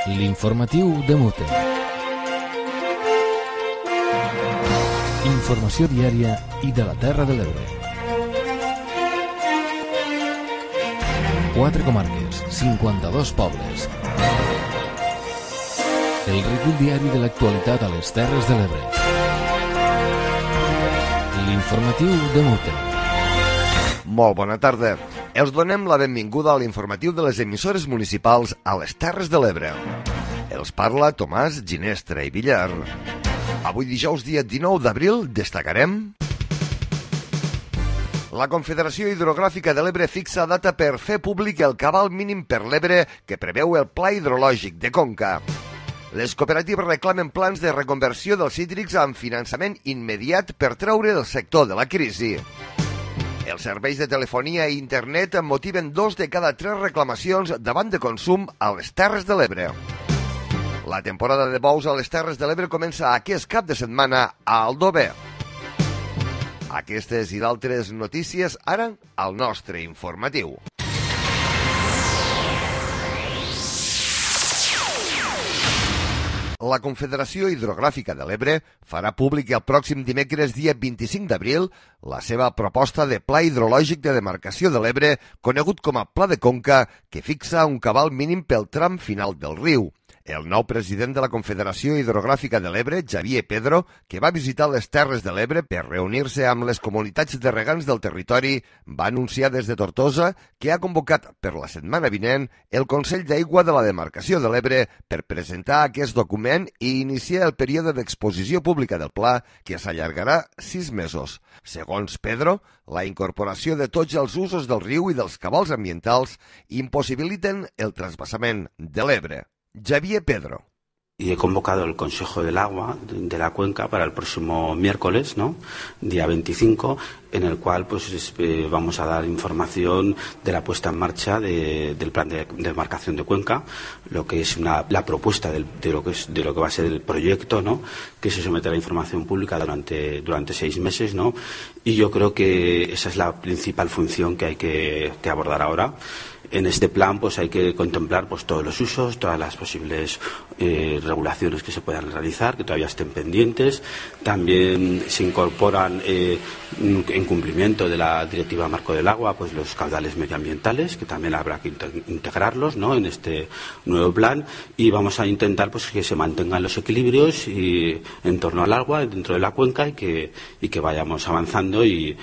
L'informatiu de Mute. Informació diària i de la Terra de l'Ebre. 4 comarques, 52 pobles. El recull diari de l'actualitat a les Terres de l'Ebre. L'informatiu de Mute. Molt bona tarda. Els donem la benvinguda a l'informatiu de les emissores municipals a les Terres de l'Ebre. Els parla Tomàs Ginestra i Villar. Avui dijous, dia 19 d'abril, destacarem... La Confederació Hidrogràfica de l'Ebre fixa data per fer públic el cabal mínim per l'Ebre que preveu el Pla Hidrològic de Conca. Les cooperatives reclamen plans de reconversió dels hídrics amb finançament immediat per treure el sector de la crisi. Els serveis de telefonia i internet motiven 2 de cada 3 reclamacions davant de consum a les Terres de l'Ebre. La temporada de bous a les Terres de l'Ebre comença aquest cap de setmana a Aldover. Aquestes i d'altres notícies ara al nostre informatiu. La Confederació Hidrogràfica de l'Ebre farà públic el pròxim dimecres, dia 25 d'abril, la seva proposta de Pla Hidrològic de Demarcació de l'Ebre, conegut com a Pla de Conca, que fixa un cabal mínim pel tram final del riu. El nou president de la Confederació Hidrogràfica de l'Ebre, Xavier Pedro, que va visitar les Terres de l'Ebre per reunir-se amb les comunitats de regants del territori, va anunciar des de Tortosa que ha convocat per la setmana vinent el Consell d'Aigua de la Demarcació de l'Ebre per presentar aquest document i iniciar el període d'exposició pública del pla, que s'allargarà 6 mesos. Segons Pedro, la incorporació de tots els usos del riu i dels cabals ambientals impossibiliten el trasvasament de l'Ebre. Xavier Pedro. Y he convocado el Consejo del Agua de la Cuenca para el próximo miércoles, ¿no? Día 25, en el cual vamos a dar información de la puesta en marcha del plan de demarcación de Cuenca, lo que es la propuesta de lo que va a ser el proyecto, ¿no? Que se somete a la información pública durante 6 meses, ¿no? Y yo creo que esa es la principal función que hay que abordar ahora. En este plan hay que contemplar todos los usos, todas las posibles regulaciones que se puedan realizar, que todavía estén pendientes. También se incorporan en cumplimiento de la Directiva Marco del Agua los caudales medioambientales, que también habrá que integrarlos, ¿no? En este nuevo plan, y vamos a intentar que se mantengan los equilibrios en torno al agua dentro de la cuenca y que vayamos avanzando y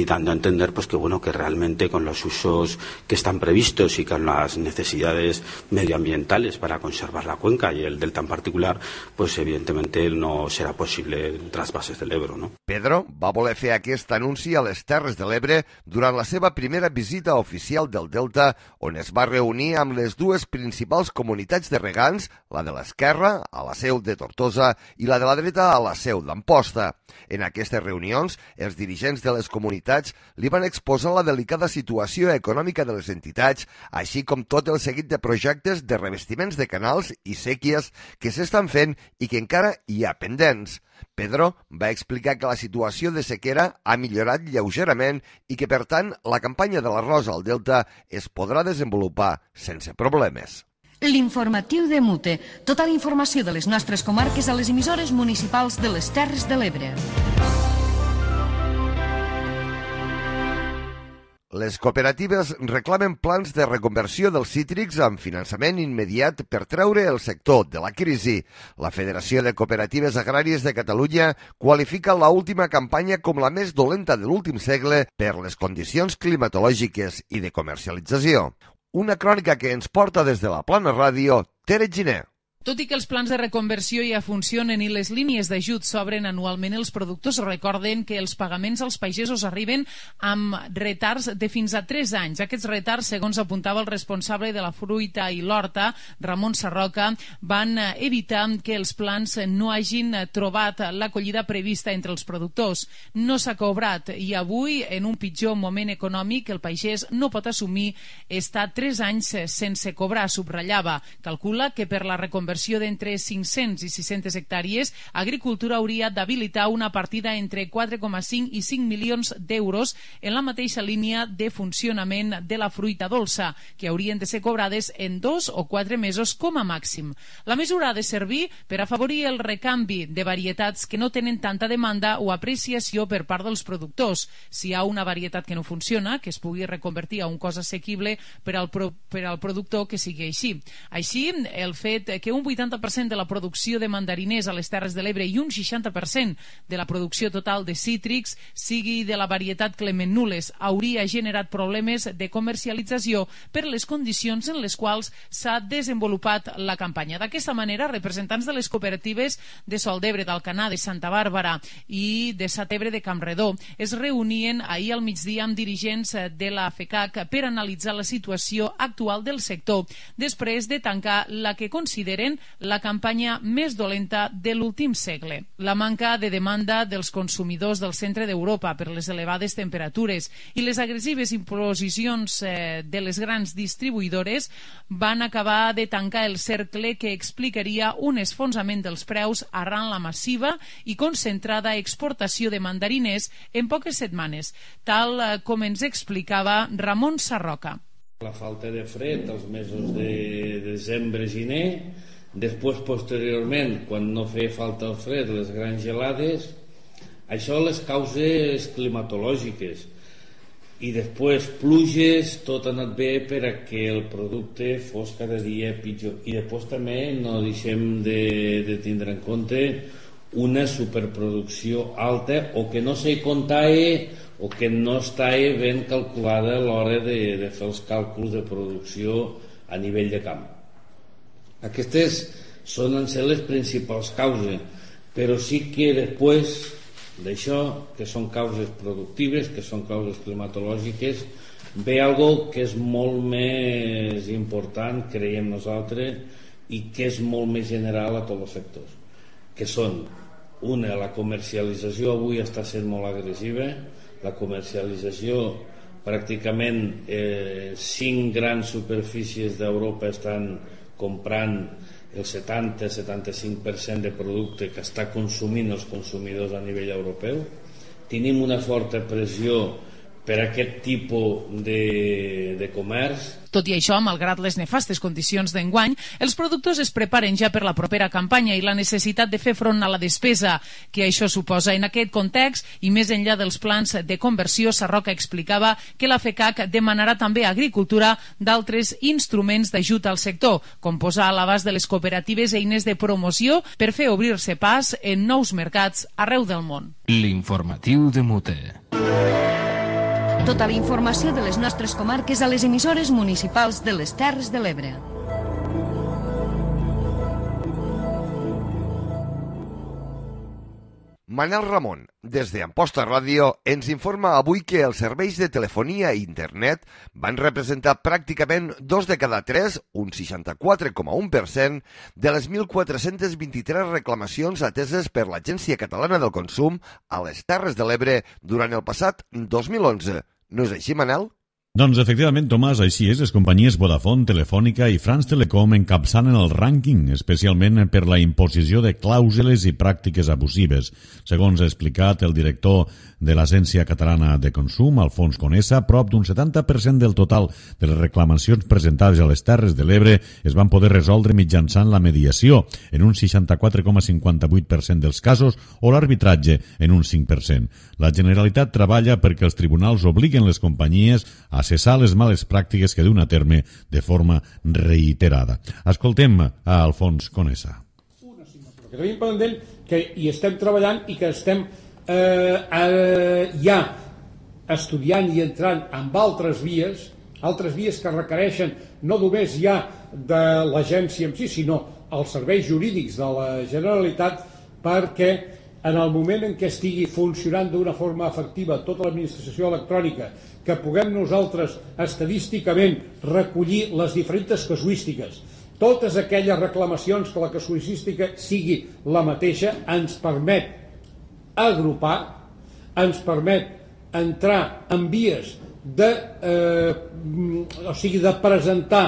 dando a entender que realmente con los usos que están previstos y con las necesidades medioambientales para conservar la cuenca y el delta en particular, evidentemente no serà possible trasbases de l'Ebre, no? Pedro va voler fer aquest anunci a les Terres de l'Ebre durant la seva primera visita oficial del Delta, on es va reunir amb les 2 principals comunitats de regants, la de l'esquerra, a la seu de Tortosa, i la de la dreta, a la seu d'Amposta. En aquestes reunions, els dirigents de les comunitats li van exposar la delicada situació econòmica de les entitats, així com tot el seguit de projectes de revestiments de canals i séquies que s'estan fent i que encara hi ha pendents. Pedro va explicar que la situació de sequera ha millorat lleugerament i que, per tant, la campanya de l'arròs al Delta es podrà desenvolupar sense problemes. L'informatiu de Mute. Tota la informació de les nostres comarques a les emissores municipals de les Terres de l'Ebre. Les cooperatives reclamen plans de reconversió dels cítrics amb finançament immediat per treure el sector de la crisi. La Federació de Cooperatives Agràries de Catalunya qualifica l'última campanya com la més dolenta de l'últim segle per les condicions climatològiques i de comercialització. Una crònica que ens porta des de la Plana Ràdio, Tere Giner. Tot i que els plans de reconversió ja funcionen i les línies d'ajut s'obren anualment, els productors recorden que els pagaments als pagesos arriben amb retards de fins a 3 anys. Aquests retards, segons apuntava el responsable de la fruita i l'horta, Ramon Sarroca, van evitar que els plans no hagin trobat l'acollida prevista entre els productors. No s'ha cobrat i avui, en un pitjor moment econòmic, el pagès no pot assumir estar 3 anys sense cobrar, subratllava. Calcula que per la reconversió reconversió d'entre 500 i 600 hectàrees, Agricultura hauria d'habilitar una partida entre 4,5 i 5 milions d'euros en la mateixa línia de funcionament de la fruita dolça, que haurien de ser cobrades en 2 o 4 mesos com a màxim. La mesura ha de servir per afavorir el recanvi de varietats que no tenen tanta demanda o apreciació per part dels productors. Si hi ha una varietat que no funciona, que es pugui reconvertir a un cost assequible per al productor, que sigui així. Així, el fet que un 80% de la producció de mandariners a les Terres de l'Ebre i un 60% de la producció total de cítrics sigui de la varietat Clement Nules hauria generat problemes de comercialització per les condicions en les quals s'ha desenvolupat la campanya. D'aquesta manera, representants de les cooperatives de Sol d'Ebre, d'Alcanar, de Santa Bàrbara i de Satebre de Campredó es reunien ahir al migdia amb dirigents de la FECAC per analitzar la situació actual del sector després de tancar la que consideren la campanya més dolenta de l'últim segle. La manca de demanda dels consumidors del centre d'Europa per les elevades temperatures i les agressives imposicions de les grans distribuïdores van acabar de tancar el cercle que explicaria un esfonsament dels preus arran la massiva i concentrada exportació de mandariners en poques setmanes, tal com ens explicava Ramon Sarroca. La falta de fred als mesos de desembre-gener, després posteriorment, quan no feia falta el fred, les grans gelades, això les causes climatològiques, i després pluges, tot ha anat bé per a que el producte fos cada dia pitjor. I després també no deixem de tindre en compte una superproducció alta o que no se comptava o que no estava ben calculada a l'hora de fer els càlculs de producció a nivell de camp. Aquestes solen ser les principals causes, però sí que després d'això, que són causes productives, que són causes climatològiques, ve algo que és molt més important, creiem nosaltres, i que és molt més general a tots els sectors, que són, una, la comercialització avui està sent molt agressiva, la comercialització pràcticament 5 grans superfícies d'Europa estan comprant el 70-75% de producte que està consumint els consumidors a nivell europeu. Tenim una forta pressió per aquest tipus de comerç. Tot i això, malgrat les nefastes condicions d'enguany, els productors es preparen ja per la propera campanya i la necessitat de fer front a la despesa que això suposa. En aquest context, i més enllà dels plans de conversió, Sarroca explicava que la FECAC demanarà també a Agricultura d'altres instruments d'ajut al sector, com posar a l'abast de les cooperatives eines de promoció per fer obrir-se pas en nous mercats arreu del món. L'informatiu de Mute. Tota la informació de les nostres comarques a les emissores municipals de les Terres de l'Ebre. Manel Ramon, des d'Amposta Ràdio, ens informa avui que els serveis de telefonia i internet van representar pràcticament 2 de cada 3, un 64,1%, de les 1.423 reclamacions ateses per l'Agència Catalana del Consum a les Terres de l'Ebre durant el passat 2011. No és així, Manel? Doncs efectivament, Tomàs, així és. Les companyies Vodafone, Telefònica i France Telecom encapçalen el rànquing, especialment per la imposició de clàusules i pràctiques abusives. Segons ha explicat el director de l'Agència Catalana de Consum, Alfons Conesa, prop d'un 70% del total de les reclamacions presentades a les Terres de l'Ebre es van poder resoldre mitjançant la mediació, en un 64,58% dels casos, o l'arbitratge, en un 5%. La Generalitat treballa perquè els tribunals obliguen les companyies a cessar les males pràctiques que duen a terme de forma reiterada. Escoltem a Alfons Conesa. Una assignatura que tenim pendent, que hi estem treballant i que estem ja estudiant i entrant amb altres vies que requereixen no només ja de l'agència en si, sinó els serveis jurídics de la Generalitat, perquè en el moment en què estigui funcionant d'una forma efectiva tota l'administració electrònica, que puguem nosaltres estadísticament recollir les diferents casuístiques, totes aquelles reclamacions que la casuística sigui la mateixa, ens permet agrupar, ens permet entrar en vies de presentar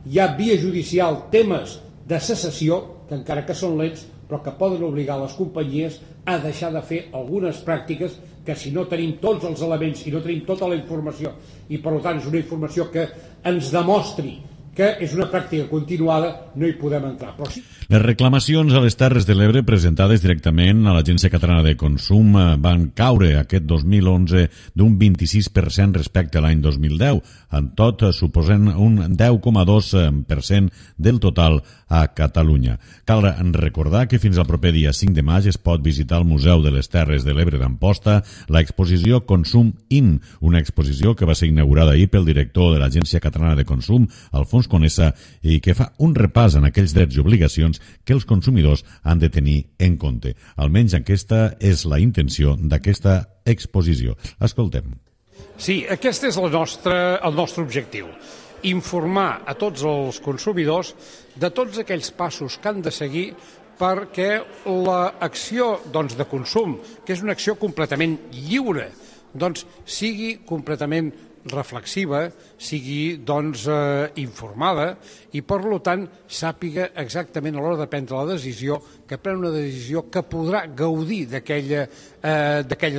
ja via judicial temes de cessació, que encara que són lents, però que poden obligar les companyies a deixar de fer algunes pràctiques que si no tenim tots els elements i no tenim tota la informació, i per tant és una informació que ens demostri que és una pràctica continuada, no hi podem entrar. Però sí. Les reclamacions a les Terres de l'Ebre presentades directament a l'Agència Catalana de Consum van caure aquest 2011 d'un 26% respecte a l'any 2010. En tot, suposen un 10,2% del total a Catalunya. Cal recordar que fins al proper dia 5 de maig es pot visitar al Museu de les Terres de l'Ebre d'Amposta l'exposició Consum In, una exposició que va ser inaugurada ahir pel director de l'Agència Catalana de Consum, Alfons Conesa, i que fa un repàs en aquells drets i obligacions que els consumidors han de tenir en compte. Almenys aquesta és la intenció d'aquesta exposició. Escoltem. Sí, aquest és el nostre objectiu. Informar a tots els consumidors de tots aquells passos que han de seguir perquè l'acció de consum, que és una acció completament lliure, sigui completament reflexiva, sigui informada i per tant sàpiga exactament a l'hora de prendre la decisió que pren una decisió que podrà gaudir d'aquella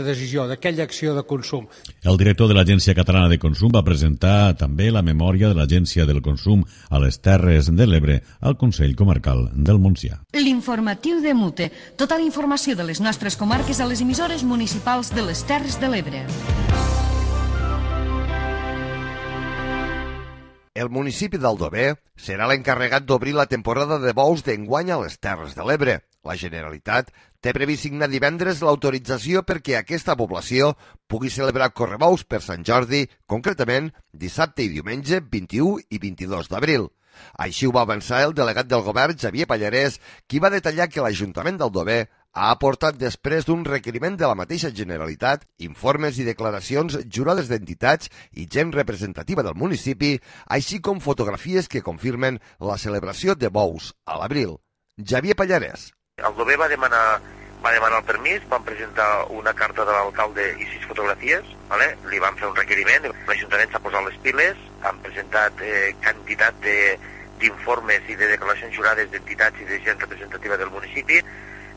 decisió, d'aquella acció de consum. El director de l'Agència Catalana de Consum va presentar també la memòria de l'Agència del Consum a les Terres de l'Ebre al Consell Comarcal del Montsià. L'informatiu de Mute. Tota la informació de les nostres comarques a les emissores municipals de les Terres de l'Ebre. El municipi d'Aldover serà l'encarregat d'obrir la temporada de bous d'enguany a les Terres de l'Ebre. La Generalitat té previst signar divendres l'autorització perquè aquesta població pugui celebrar correbous per Sant Jordi, concretament dissabte i diumenge 21 i 22 d'abril. Així ho va avançar el delegat del govern, Xavier Pallarès, qui va detallar que l'Ajuntament d'Aldover ha aportat després d'un requeriment de la mateixa Generalitat informes i declaracions jurades d'entitats i gent representativa del municipi, així com fotografies que confirmen la celebració de bous a l'abril. Xavier Pallarès. Aldover va demanar el permís, van presentar una carta de l'alcalde i 6 fotografies, li van fer un requeriment, l'Ajuntament s'ha posat les piles, han presentat quantitat d'informes i de declaracions jurades d'entitats i de gent representativa del municipi,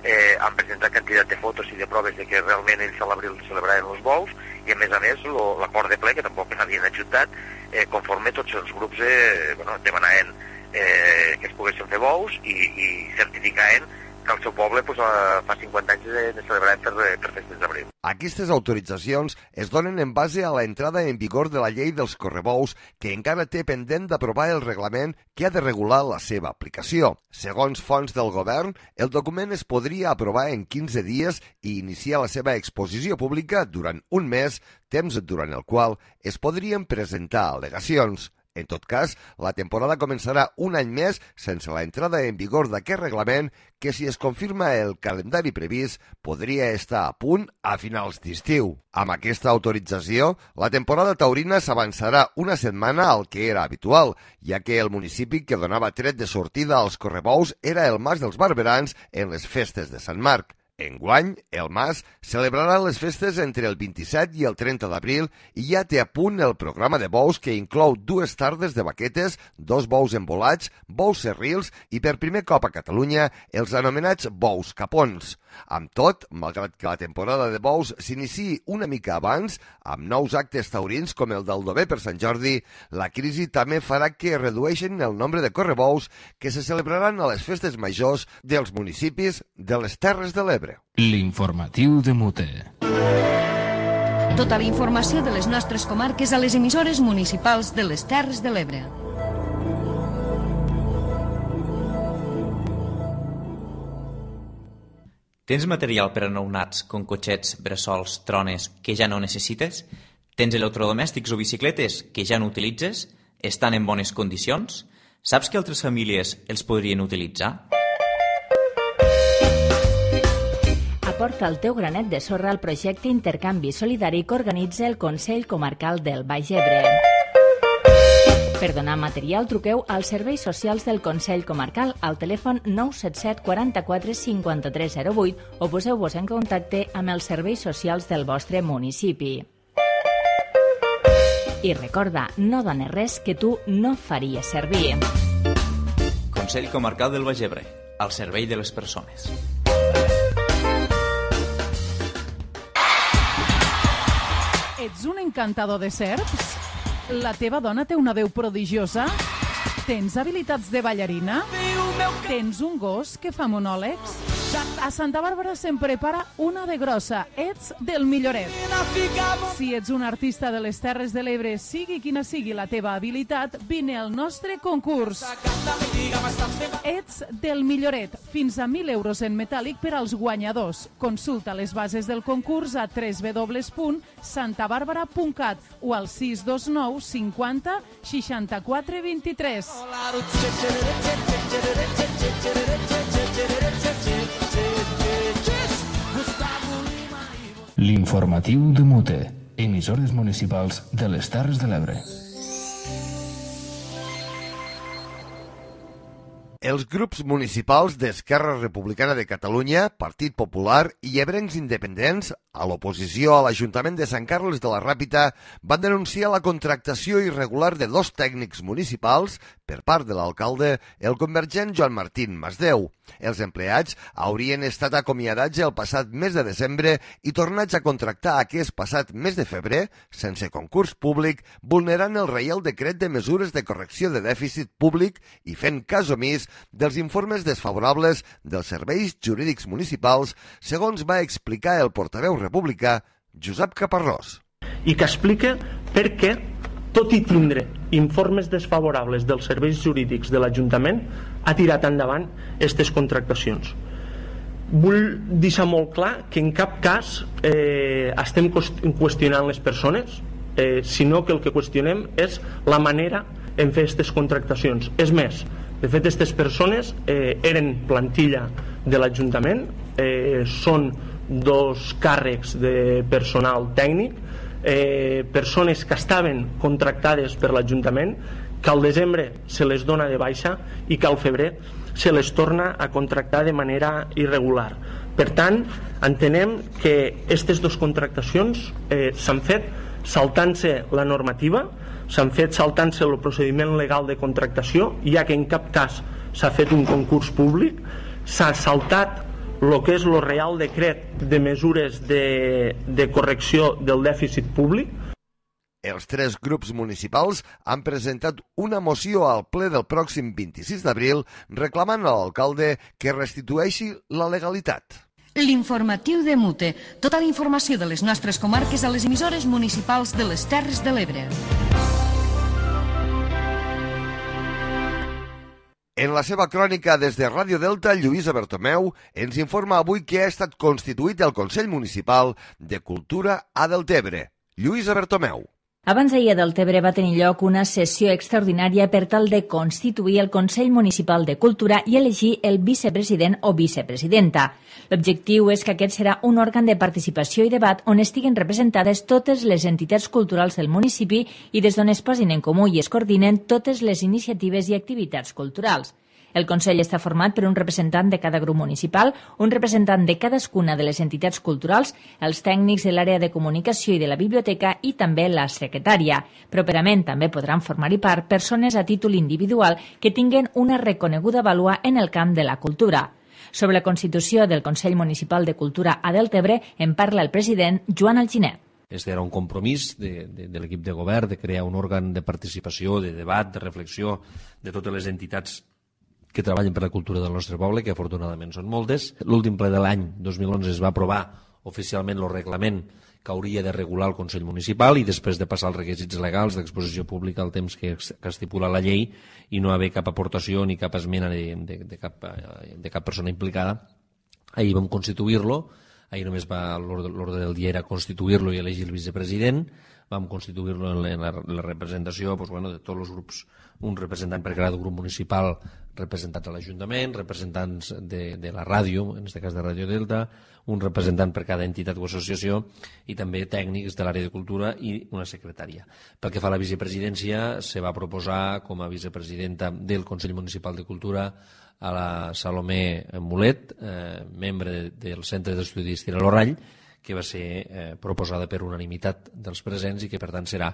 han presentat quantitat de fotos i de proves de que realment ells a l'abril celebraven els bous i a més l'acord de ple, que tampoc n'havien adjuntat, conforme tots els grups demanaven que es poguessin fer bous i certificaven que el seu poble fa 50 anys ne celebraven per festes d'abril. Aquestes autoritzacions es donen en base a la entrada en vigor de la llei dels correbous, que encara té pendent d'aprovar el reglament que ha de regular la seva aplicació. Segons fonts del govern, el document es podria aprovar en 15 dies i iniciar la seva exposició pública durant un mes, temps durant el qual es podrien presentar al·legacions. En tot cas, la temporada començarà un any més sense la entrada en vigor d'aquest reglament que, si es confirma el calendari previst, podria estar a punt a finals d'estiu. Amb aquesta autorització, la temporada taurina s'avançarà una setmana al que era habitual, ja que el municipi que donava tret de sortida als correbous era el Mas dels Barberans en les festes de Sant Marc. Enguany, el Mas celebrarà les festes entre el 27 i el 30 d'abril i ja té a punt el programa de bous que inclou 2 tardes de baquetes, 2 bous embolats, bous serrils i per primer cop a Catalunya els anomenats bous capons. Amb tot, malgrat que la temporada de bous s'iniciï una mica abans, amb nous actes taurins com el d'Aldover per Sant Jordi, la crisi també farà que redueixin el nombre de correbous que se celebraran a les festes majors dels municipis de les Terres de l'Ebre. L'informatiu de Mute. Tota la informació de les nostres comarques a les emissores municipals de les Terres de l'Ebre. Tens material per a nounats, com cotxets, bressols, trones, que ja no necessites? Tens electrodomèstics o bicicletes que ja no utilitzes? Estan en bones condicions? Saps que altres famílies els podrien utilitzar? Aporta el teu granet de sorra al projecte Intercanvi Solidari que organitza el Consell Comarcal del Baix Ebre. Per donar material, truqueu als serveis socials del Consell Comarcal al telèfon 977 44 53 08 o poseu-vos en contacte amb els serveis socials del vostre municipi. I recorda, no dones res que tu no faries servir. Consell Comarcal del Baix Ebre, al servei de les persones. Ets un encantador de serps? La teva dona té una veu prodigiosa? Tens habilitats de ballarina? Tens un gos que fa monòlegs? A Santa Bàrbara se'n prepara una de grossa. Ets del Milloret. Si ets un artista de les Terres de l'Ebre, sigui quina sigui la teva habilitat, vine al nostre concurs. Ets del Milloret. Fins a 1.000 euros en metàl·lic per als guanyadors. Consulta les bases del concurs a www.santabarbara.cat o al 629 50 64 23. L'informatiu de Mute, emissores municipals de les Terres de l'Ebre. Els grups municipals d'Esquerra Republicana de Catalunya, Partit Popular i ebrencs independents, a l'oposició a l'Ajuntament de Sant Carles de la Ràpita, van denunciar la contractació irregular de 2 tècnics municipals per part de l'alcalde, el convergent Joan Martín Masdeu. Els empleats haurien estat acomiadats el passat mes de desembre i tornats a contractar aquest passat mes de febrer, sense concurs públic, vulnerant el Reial Decret de Mesures de Correcció de Dèficit Públic i fent cas omís dels informes desfavorables dels serveis jurídics municipals, segons va explicar el portaveu republicà Josep Caparrós. I que explica per què, tot i tindre informes desfavorables dels serveis jurídics de l'Ajuntament, ha tirat endavant aquestes contractacions. Vull deixar molt clar que en cap cas estem qüestionant les persones, sinó que el que qüestionem és la manera en fer aquestes contractacions. És més, de fet, aquestes persones eren plantilla de l'Ajuntament, són 2 càrrecs de personal tècnic, persones que estaven contractades per l'Ajuntament, que al desembre se les dona de baixa i que al febrer se les torna a contractar de manera irregular. Per tant, entenem que aquestes 2 contractacions s'han fet saltant-se la normativa, s'han fet saltant-se el procediment legal de contractació, ja que en cap cas s'ha fet un concurs públic, s'ha saltat el que és el Reial Decret de Mesures de Correcció del Dèficit Públic. Els 3 grups municipals han presentat una moció al ple del pròxim 26 d'abril reclamant a l'alcalde que restitueixi la legalitat. L'informatiu de Mute. Tota la informació de les nostres comarques a les emissores municipals de les Terres de l'Ebre. En la seva crònica des de Ràdio Delta, Lluïsa Bertomeu ens informa avui que ha estat constituït el Consell Municipal de Cultura a Deltebre. Lluïsa Bertomeu. Abans d'ahir a Deltebre va tenir lloc una sessió extraordinària per tal de constituir el Consell Municipal de Cultura i elegir el vicepresident o vicepresidenta. L'objectiu és que aquest serà un òrgan de participació i debat on estiguen representades totes les entitats culturals del municipi i des d'on es posin en comú i es coordinen totes les iniciatives i activitats culturals. El Consell està format per un representant de cada grup municipal, un representant de cadascuna de les entitats culturals, els tècnics de l'àrea de comunicació i de la biblioteca i també la secretària. Properament també podran formar-hi part persones a títol individual que tinguen una reconeguda vàlua en el camp de la cultura. Sobre la constitució del Consell Municipal de Cultura a Deltebre en parla el president Joan Alginet. Este era un compromís de l'equip de govern de crear un òrgan de participació, de debat, de reflexió de totes les entitats que treballen per la cultura del nostre poble, que afortunadament són moltes. L'últim ple de l'any 2011 es va aprovar oficialment el reglament que hauria de regular el Consell Municipal i després de passar els requisits legals d'exposició pública al temps que estipula la llei i no haver cap aportació ni cap esmena de cap persona implicada, ahir vam constituir-lo. Ahir només l'ordre del dia era constituir-lo i elegir el vicepresident. Vam constituir-lo en la representació de tots els grups, un representant per cada grup municipal representats a l'Ajuntament, representants de la ràdio, en aquest cas de Ràdio Delta, un representant per cada entitat o associació i també tècnics de l'àrea de cultura i una secretària. Pel que fa a la vicepresidència, se va proposar com a vicepresidenta del Consell Municipal de Cultura a la Salomé Mulet, membre del Centre d'Estudis Tiralorrall, que va ser proposada per unanimitat dels presents i que per tant serà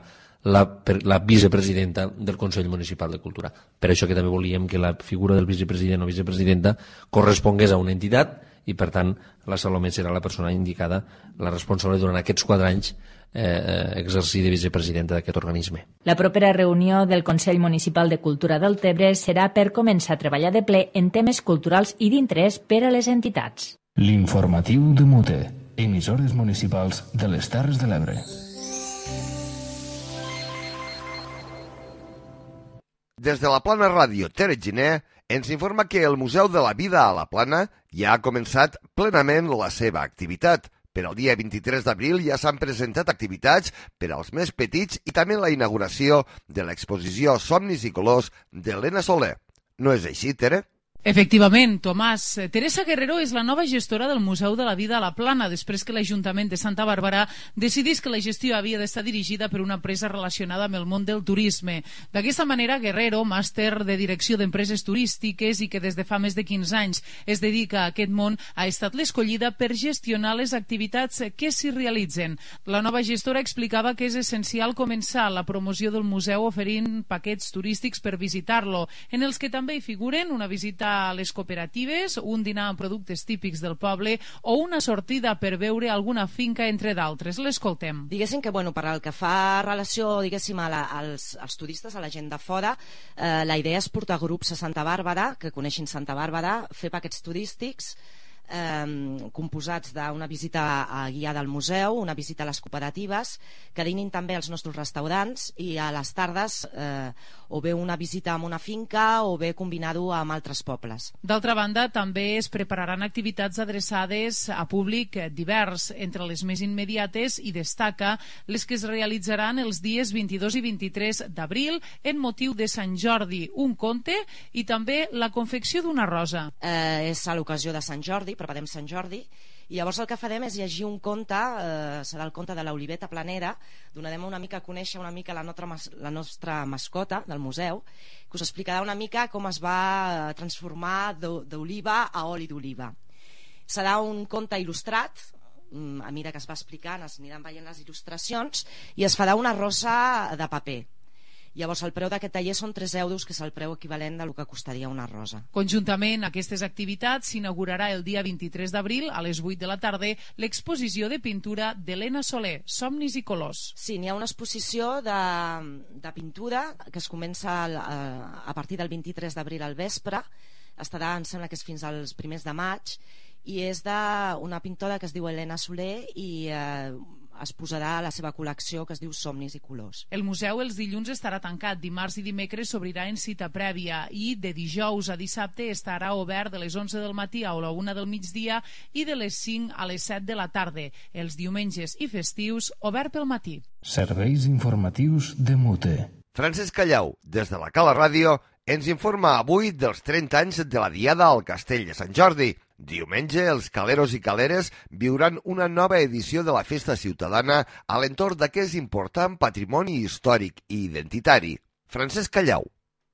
la vicepresidenta del Consell Municipal de Cultura. Per això que també volíem que la figura del vicepresident o vicepresidenta correspongués a una entitat i per tant la Salomé serà la persona indicada, la responsable durant aquests 4 anys exercir de vicepresidenta d'aquest organisme. La propera reunió del Consell Municipal de Cultura del Tebre serà per començar a treballar de ple en temes culturals i d'interès per a les entitats. L'informatiu de Mute, emissores municipals de les Terres de l'Ebre. Des de la Plana Ràdio Tere Giner ens informa que el Museu de la Vida a la Plana ja ha començat plenament la seva activitat. Per al dia 23 d'abril ja s'han presentat activitats per als més petits i també la inauguració de l'exposició Somnis i Colors d'Helena Soler. No és així, Tere? Efectivament, Tomàs. Teresa Guerrero és la nova gestora del Museu de la Vida a la Plana, després que l'Ajuntament de Santa Bàrbara decidís que la gestió havia d'estar dirigida per una empresa relacionada amb el món del turisme. D'aquesta manera, Guerrero, màster de direcció d'empreses turístiques i que des de fa més de 15 anys es dedica a aquest món, ha estat l'escollida per gestionar les activitats que s'hi realitzen. La nova gestora explicava que és essencial començar la promoció del museu oferint paquets turístics per visitar-lo, en els que també hi figuren una visita a les cooperatives, un dinar amb productes típics del poble o una sortida per veure alguna finca, entre d'altres. L'escoltem. Diguéssim que, per al que fa relació, diguéssim, als turistes, a la gent de fora, la idea és portar grups a Santa Bàrbara, que coneixin Santa Bàrbara, fer paquets turístics composats d'una visita guiada al museu, una visita a les cooperatives, que dinin també als nostres restaurants i a les tardes o bé una visita a una finca o bé combinar-ho amb altres pobles. D'altra banda, també es prepararan activitats adreçades a públic divers. Entre les més immediates hi destaca les que es realitzaran els dies 22 i 23 d'abril en motiu de Sant Jordi, un conte i també la confecció d'una rosa. És a l'ocasió de Sant Jordi, preparem Sant Jordi, i llavors el que farem és llegir un conte, serà el conte de l'Oliveta Planera, donarem una mica a conèixer una mica la nostra mascota del museu, que us explicarà una mica com es va transformar d'oliva a oli d'oliva. Serà un conte il·lustrat, a mesura que es va explicant es aniran veient les il·lustracions, i es farà una rosa de paper. Llavors el preu d'aquest taller són 3 euros, que és el preu equivalent del que costaria una rosa. Conjuntament a aquestes activitats s'inaugurarà el dia 23 d'abril a les 8 de la tarda l'exposició de pintura d'Helena Soler, Somnis i Colors. Sí, n'hi ha una exposició de pintura que es comença a partir del 23 d'abril al vespre, estarà, em sembla que és fins als primers de maig, i és d'una pintora que es diu Helena Soler i es posarà a la seva col·lecció que es diu Somnis i Colors. El museu els dilluns estarà tancat, dimarts i dimecres s'obrirà en cita prèvia i de dijous a dissabte estarà obert de les 11 del matí a la 1 del migdia i de les 5 a les 7 de la tarda. Els diumenges i festius obert pel matí. Serveis informatius de Mute. Francesc Callau, des de la Cala Ràdio, ens informa avui dels 30 anys de la Diada al Castell de Sant Jordi. Diumenge, els caleros i caleres viuran una nova edició de la festa ciutadana a l'entorn d'aquest important patrimoni històric i identitari. Francesc Callau.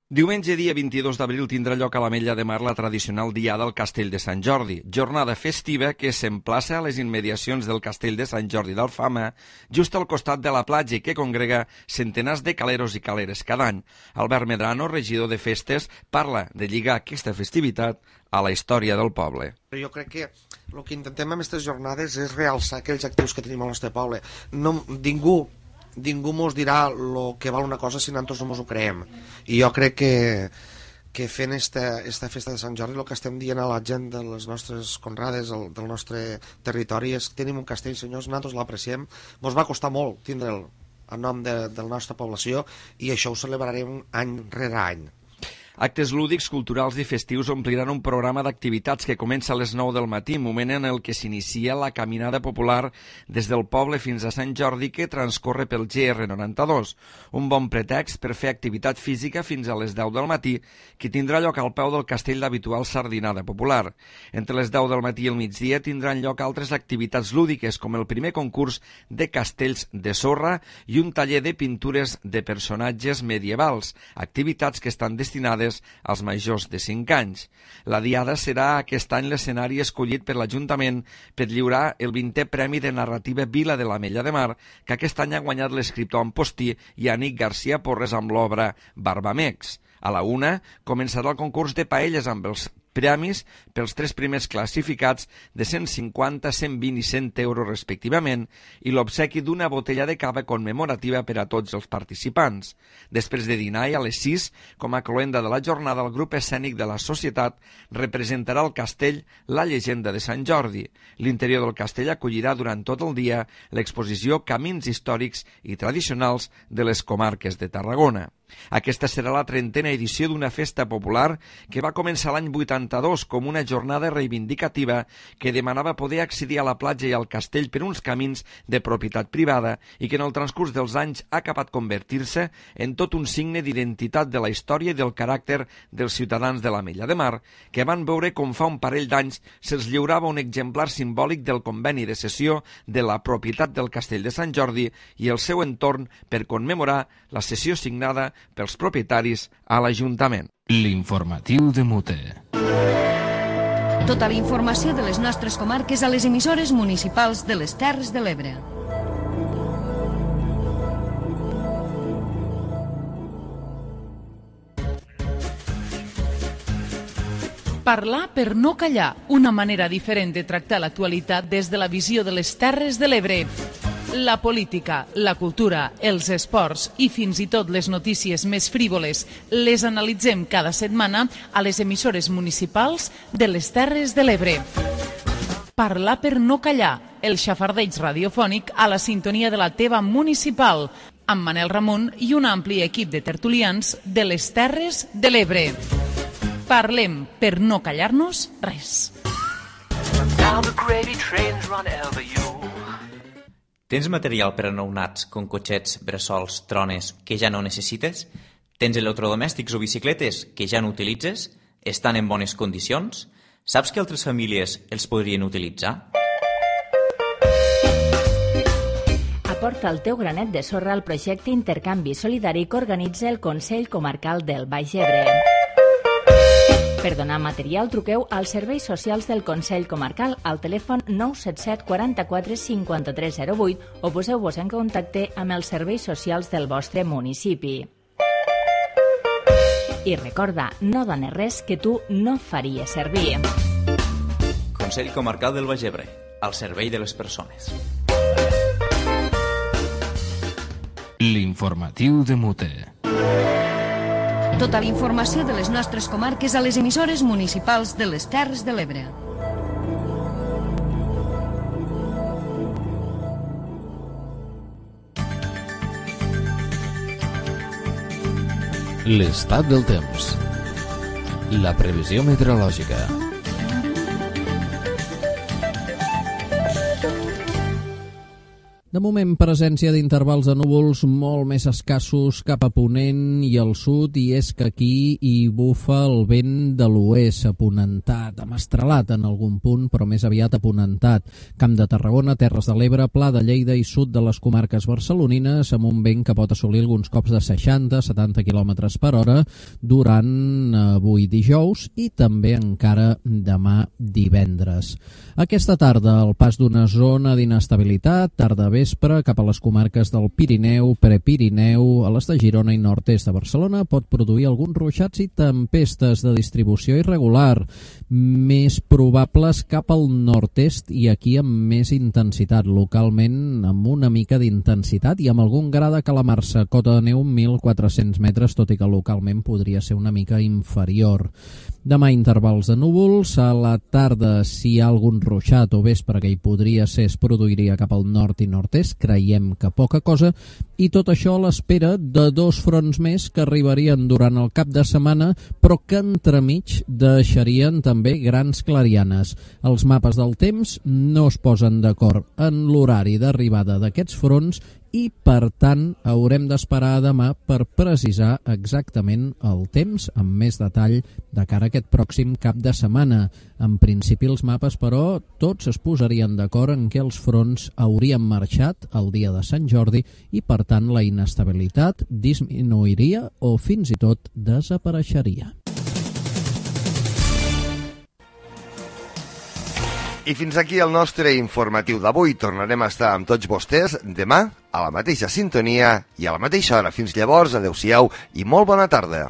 Diumenge, dia 22 d'abril, tindrà lloc a l'Ametlla de Mar la tradicional Diada al Castell de Sant Jordi, jornada festiva que s'emplaça a les immediacions del Castell de Sant Jordi d'Alfama, just al costat de la platja i que congrega centenars de caleros i caleres cada any. Albert Medrano, regidor de festes, parla de lligar aquesta festivitat a la història del poble. Jo crec que el que intentem amb aquestes jornades és realçar aquells actius que tenim al nostre poble. Ningú mos dirà el que val una cosa si nosaltres no mos ho creem. I jo crec que fent esta festa de Sant Jordi el que estem dient a la gent de les nostres conrades, del nostre territori, és que tenim un castell, senyors, nosaltres l'apreciem. Mos va costar molt tindre'l en nom de la nostra població i això ho celebrarem any rere any. Actes lúdics, culturals i festius ompliran un programa d'activitats que comença a les 9 del matí, moment en el que s'inicia la caminada popular des del poble fins a Sant Jordi que transcorre pel GR92. Un bon pretext per fer activitat física fins a les 10 del matí, que tindrà lloc al peu del castell d'habitual sardinada popular. Entre les 10 del matí i el migdia tindran lloc altres activitats lúdiques, com el primer concurs de castells de sorra i un taller de pintures de personatges medievals, activitats que estan destinades adreçades als majors de 5 anys. La Diada serà aquest any l'escenari escollit per l'Ajuntament per lliurar el 20è Premi de Narrativa Vila de l'Ametlla de Mar, que aquest any ha guanyat l'escriptor Ampostí i Ànic García Porres amb l'obra Barbamex. A la 1 començarà el concurs de paelles amb els premis pels 3 primers classificats de 150, 120 i 100 euros respectivament i l'obsequi d'una botella de cava commemorativa per a tots els participants. Després de dinar i a les 6, com a cloenda de la jornada, el grup escènic de la Societat representarà el castell La llegenda de Sant Jordi. L'interior del castell acollirà durant tot el dia l'exposició Camins històrics i tradicionals de les comarques de Tarragona. Aquesta serà la 30a edició d'una festa popular que va començar l'any 82 com una jornada reivindicativa que demanava poder accedir a la platja i al castell per uns camins de propietat privada i que en el transcurs dels anys ha acabat convertir-se en tot un signe d'identitat de la història i del caràcter dels ciutadans de l'Ametlla de Mar, que van veure com fa un parell d'anys se'ls lliurava un exemplar simbòlic del conveni de cessió de la propietat del castell de Sant Jordi i el seu entorn per commemorar la cessió signada pels propietaris a l'Ajuntament. L'informatiu de Mute. Tota la informació de les nostres comarques a les emissores municipals de les Terres de l'Ebre. Parlar per no callar, una manera diferent de tractar l'actualitat des de la visió de les Terres de l'Ebre. La política, la cultura, els esports i fins i tot les notícies més frívoles les analitzem cada setmana a les emissores municipals de les Terres de l'Ebre. Parlar per no callar, el xafardeig radiofònic a la sintonia de la teva municipal, amb Manel Ramon i un ampli equip de tertulians de les Terres de l'Ebre. Parlem per no callar-nos res. Tens material per a nounats, com cotxets, bressols, trones, que ja no necessites? Tens electrodomèstics o bicicletes que ja no utilitzes? Estan en bones condicions? Saps que altres famílies els podrien utilitzar? Aporta el teu granet de sorra al projecte Intercanvi Solidari que organitza el Consell Comarcal del Baix Ebre. Per donar material, truqueu als serveis socials del Consell Comarcal al telèfon 977 44 53 08 o poseu-vos en contacte amb els serveis socials del vostre municipi. I recorda, no dones res que tu no faries servir. Consell Comarcal del Baix Ebre, al servei de les persones. L'informatiu de Mute. Tota la informació de les nostres comarques a les emissores municipals de les Terres de l'Ebre. L'estat del temps. La previsió meteorològica. De moment, presència d'intervals de núvols molt més escassos cap a Ponent i al sud, i és que aquí hi bufa el vent de l'oest, aponentat, amestrelat en algun punt, però més aviat aponentat. Camp de Tarragona, Terres de l'Ebre, Pla de Lleida i sud de les comarques barcelonines, amb un vent que pot assolir alguns cops de 60-70 km per hora durant avui dijous i també encara demà divendres. Aquesta tarda, el pas d'una zona d'inestabilitat, tarda vespre cap a les comarques del Pirineu, Prepirineu, a les de Girona i nord-est de Barcelona, pot produir alguns ruixats i tempestes de distribució irregular, més probables cap al nord-est i aquí amb més intensitat, localment amb una mica d'intensitat i amb algun gra de calamarsa, cota de neu 1.400 metres, tot i que localment podria ser una mica inferior. Demà intervals de núvols, a la tarda si hi ha algun ruixat o vespre que hi podria ser es produiria cap al nord i nord-est, creiem que poca cosa, i tot això a l'espera de dos fronts més que arribarien durant el cap de setmana, però que entremig deixarien també grans clarianes. Els mapes del temps no es posen d'acord en l'horari d'arribada d'aquests fronts i, per tant, haurem d'esperar a demà per precisar exactament el temps amb més detall de cara a aquest pròxim cap de setmana. En principi, els mapes, però, tots es posarien d'acord en què els fronts haurien marxat el dia de Sant Jordi i, per tant, la inestabilitat disminuiria o fins i tot desapareixeria. I fins aquí el nostre informatiu d'avui. Tornarem a estar amb tots vostès demà a la mateixa sintonia i a la mateixa hora. Fins llavors, adeu-siau i molt bona tarda.